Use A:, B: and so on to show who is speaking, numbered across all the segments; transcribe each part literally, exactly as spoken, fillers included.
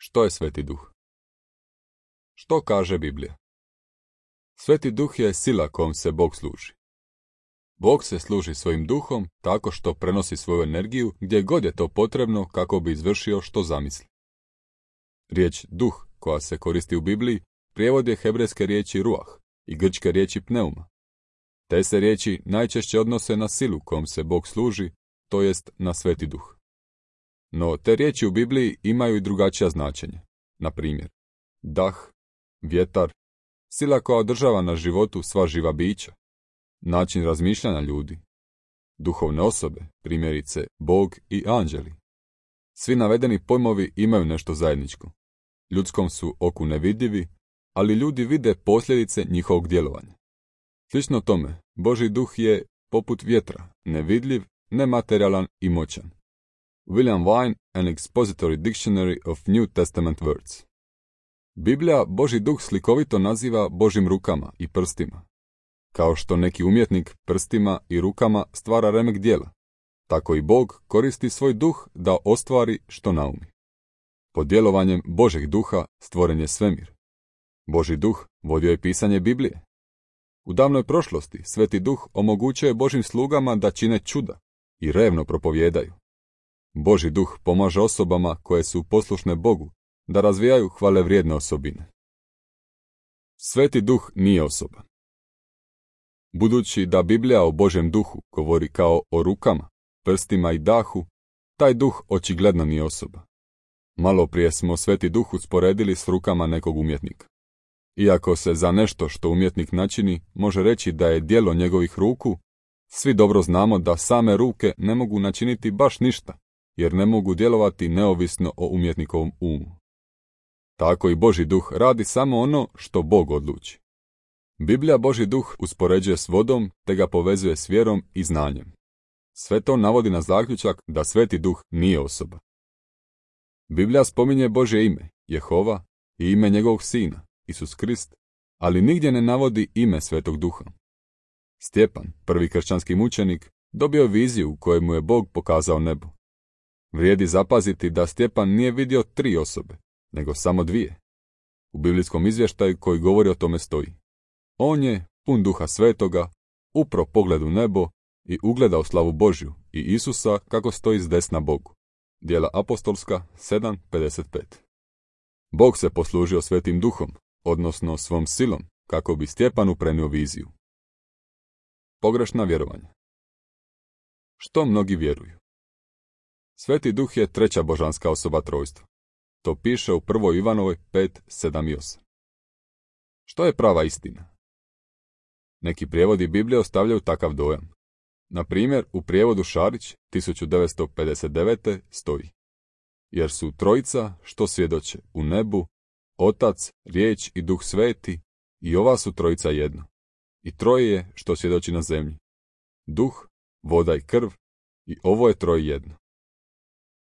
A: Što je Sveti Duh? Što kaže Biblija? Sveti Duh je sila kojom se Bog služi. Bog se služi svojim duhom tako što prenosi svoju energiju gdje god je to potrebno kako bi izvršio što zamisli. Riječ duh koja se koristi u Bibliji prijevod je hebrejske riječi ruah i grčke riječi pneuma. Te se riječi najčešće odnose na silu kojom se Bog služi, to jest na Sveti Duh. No te riječi u Bibliji imaju i drugačija značenja. Na primjer, dah, vjetar, sila koja održava na životu sva živa bića, način razmišljanja ljudi, duhovne osobe, primjerice Bog i anđeli. Svi navedeni pojmovi imaju nešto zajedničko. Ljudskom su oku nevidljivi, ali ljudi vide posljedice njihovog djelovanja. Slično tome, Božji duh je poput vjetra, nevidljiv, nematerijalan i moćan. William Vine, An Expository Dictionary of New Testament Words. Biblija Božji duh slikovito naziva Božjim rukama i prstima. Kao što neki umjetnik prstima i rukama stvara remek djela, tako i Bog koristi svoj duh da ostvari što naumi. Pod djelovanjem Božjeg duha stvoren je svemir. Božji duh vodio je pisanje Biblije. U davnoj prošlosti Sveti duh omogućio je Božjim slugama da čine čuda i revno propovjedaju. Božji duh pomaže osobama koje su poslušne Bogu da razvijaju hvalevrijedne osobine. Sveti duh nije osoba. Budući da Biblija o Božjem duhu govori kao o rukama, prstima i dahu, taj duh očigledno nije osoba. Malo prije smo Sveti duh usporedili s rukama nekog umjetnika. Iako se za nešto što umjetnik načini može reći da je djelo njegovih ruku, svi dobro znamo da same ruke ne mogu načiniti baš ništa, jer ne mogu djelovati neovisno o umjetnikovom umu. Tako i Božji duh radi samo ono što Bog odluči. Biblija Božji duh uspoređuje s vodom te ga povezuje s vjerom i znanjem. Sve to navodi na zaključak da Sveti duh nije osoba. Biblija spominje Božje ime, Jehova, i ime njegovog sina, Isus Krist, ali nigdje ne navodi ime Svetog duha. Stjepan, prvi kršćanski mučenik, dobio viziju u kojoj mu je Bog pokazao nebo. Vrijedi zapaziti da Stjepan nije vidio tri osobe, nego samo dvije. U biblijskom izvještaju koji govori o tome stoji: on je, pun duha svetoga, upro pogled u nebo i ugledao slavu Božju i Isusa kako stoji s desna Bogu. Djela apostolska sedam pedeset pet. Bog se poslužio Svetim duhom, odnosno svom silom, kako bi Stjepanu prenio viziju. Pogrešna vjerovanja. Što mnogi vjeruju? Sveti duh je treća božanska osoba trojstva. To piše u prvoj Ivanovoj pet sedam i osam. Što je prava istina? Neki prijevodi Biblije ostavljaju takav dojam. Na primjer, u prijevodu Šarić tisuću devetsto pedeset devete. stoji: jer su trojica što svjedoče u nebu, Otac, Riječ i Duh Sveti, i ova su trojica jedno. I troje je što svjedoči na zemlji: duh, voda i krv, i ovo je troje jedno.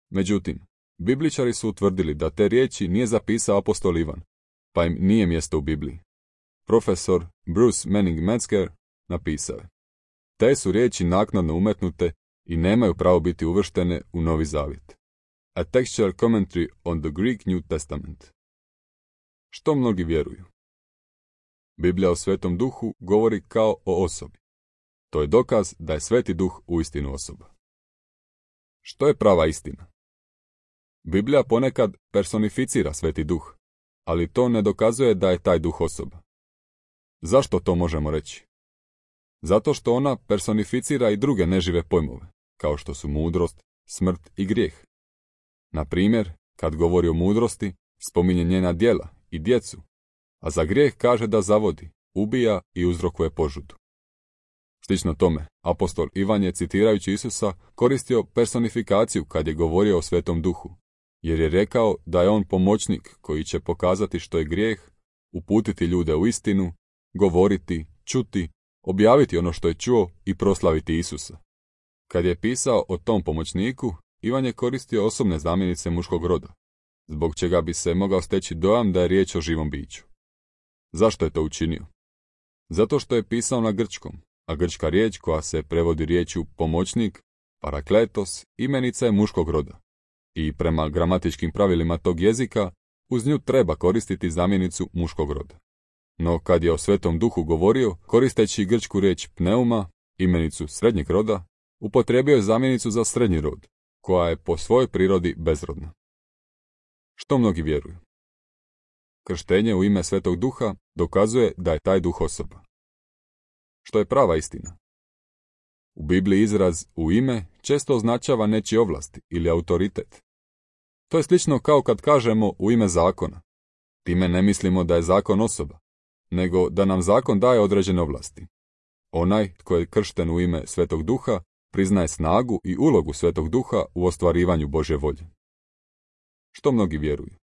A: Međutim, Bibličari su utvrdili da te riječi nije zapisao apostol Ivan, pa im nije mjesto u Bibliji. Profesor Bruce Manning Metzger napisao je: te su riječi naknadno umetnute i nemaju pravo biti uvrštene u Novi Zavjet. A textual commentary on the Greek New Testament. Što mnogi vjeruju? Biblija o Svetom duhu govori kao o osobi. To je dokaz da je Sveti duh uistinu osoba. Što je prava istina? Biblija ponekad personificira Sveti duh, ali to ne dokazuje da je taj duh osoba. Zašto to možemo reći? Zato što ona personificira i druge nežive pojmove, kao što su mudrost, smrt i grijeh. Na primjer, kad govori o mudrosti, spominje njena djela i djecu, a za grijeh kaže da zavodi, ubija i uzrokuje požudu. Slično tome, apostol Ivan je, citirajući Isusa, koristio personifikaciju kad je govorio o Svetom duhu, jer je rekao da je on pomoćnik koji će pokazati što je grijeh, uputiti ljude u istinu, govoriti, čuti, objaviti ono što je čuo i proslaviti Isusa. Kad je pisao o tom pomoćniku, Ivan je koristio osobne zamjenice muškog roda, zbog čega bi se mogao steći dojam da je riječ o živom biću. Zašto je to učinio? Zato što je pisao na grčkom, a grčka riječ koja se prevodi riječju pomoćnik, parakletos, imenica je muškog roda. I prema gramatičkim pravilima tog jezika, uz nju treba koristiti zamjenicu muškog roda. No kad je o Svetom Duhu govorio, koristeći grčku riječ pneuma, imenicu srednjeg roda, upotrijebio je zamjenicu za srednji rod, koja je po svojoj prirodi bezrodna. Što mnogi vjeruju? Krštenje u ime Svetog Duha dokazuje da je taj duh osoba. Što je prava istina? U Bibliji izraz u ime često označava nečije ovlasti ili autoritet. To je slično kao kad kažemo u ime zakona. Time ne mislimo da je zakon osoba, nego da nam zakon daje određene ovlasti. Onaj tko je kršten u ime Svetog Duha priznaje snagu i ulogu Svetog Duha u ostvarivanju Božje volje. Što mnogi vjeruju?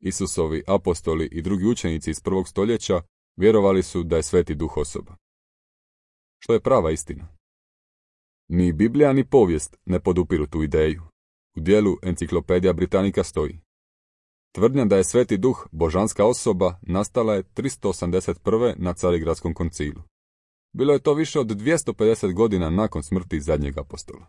A: Isusovi apostoli i drugi učenici iz prvog stoljeća vjerovali su da je Sveti Duh osoba. Što je prava istina? Ni Biblija ni povijest ne podupiru tu ideju. U dijelu Enciklopedija Britannica stoji: tvrdnja da je Sveti Duh božanska osoba nastala je tristo osamdeset prve na Carigradskom koncilu. Bilo je to više od dvjesto pedeset godina nakon smrti zadnjeg apostola.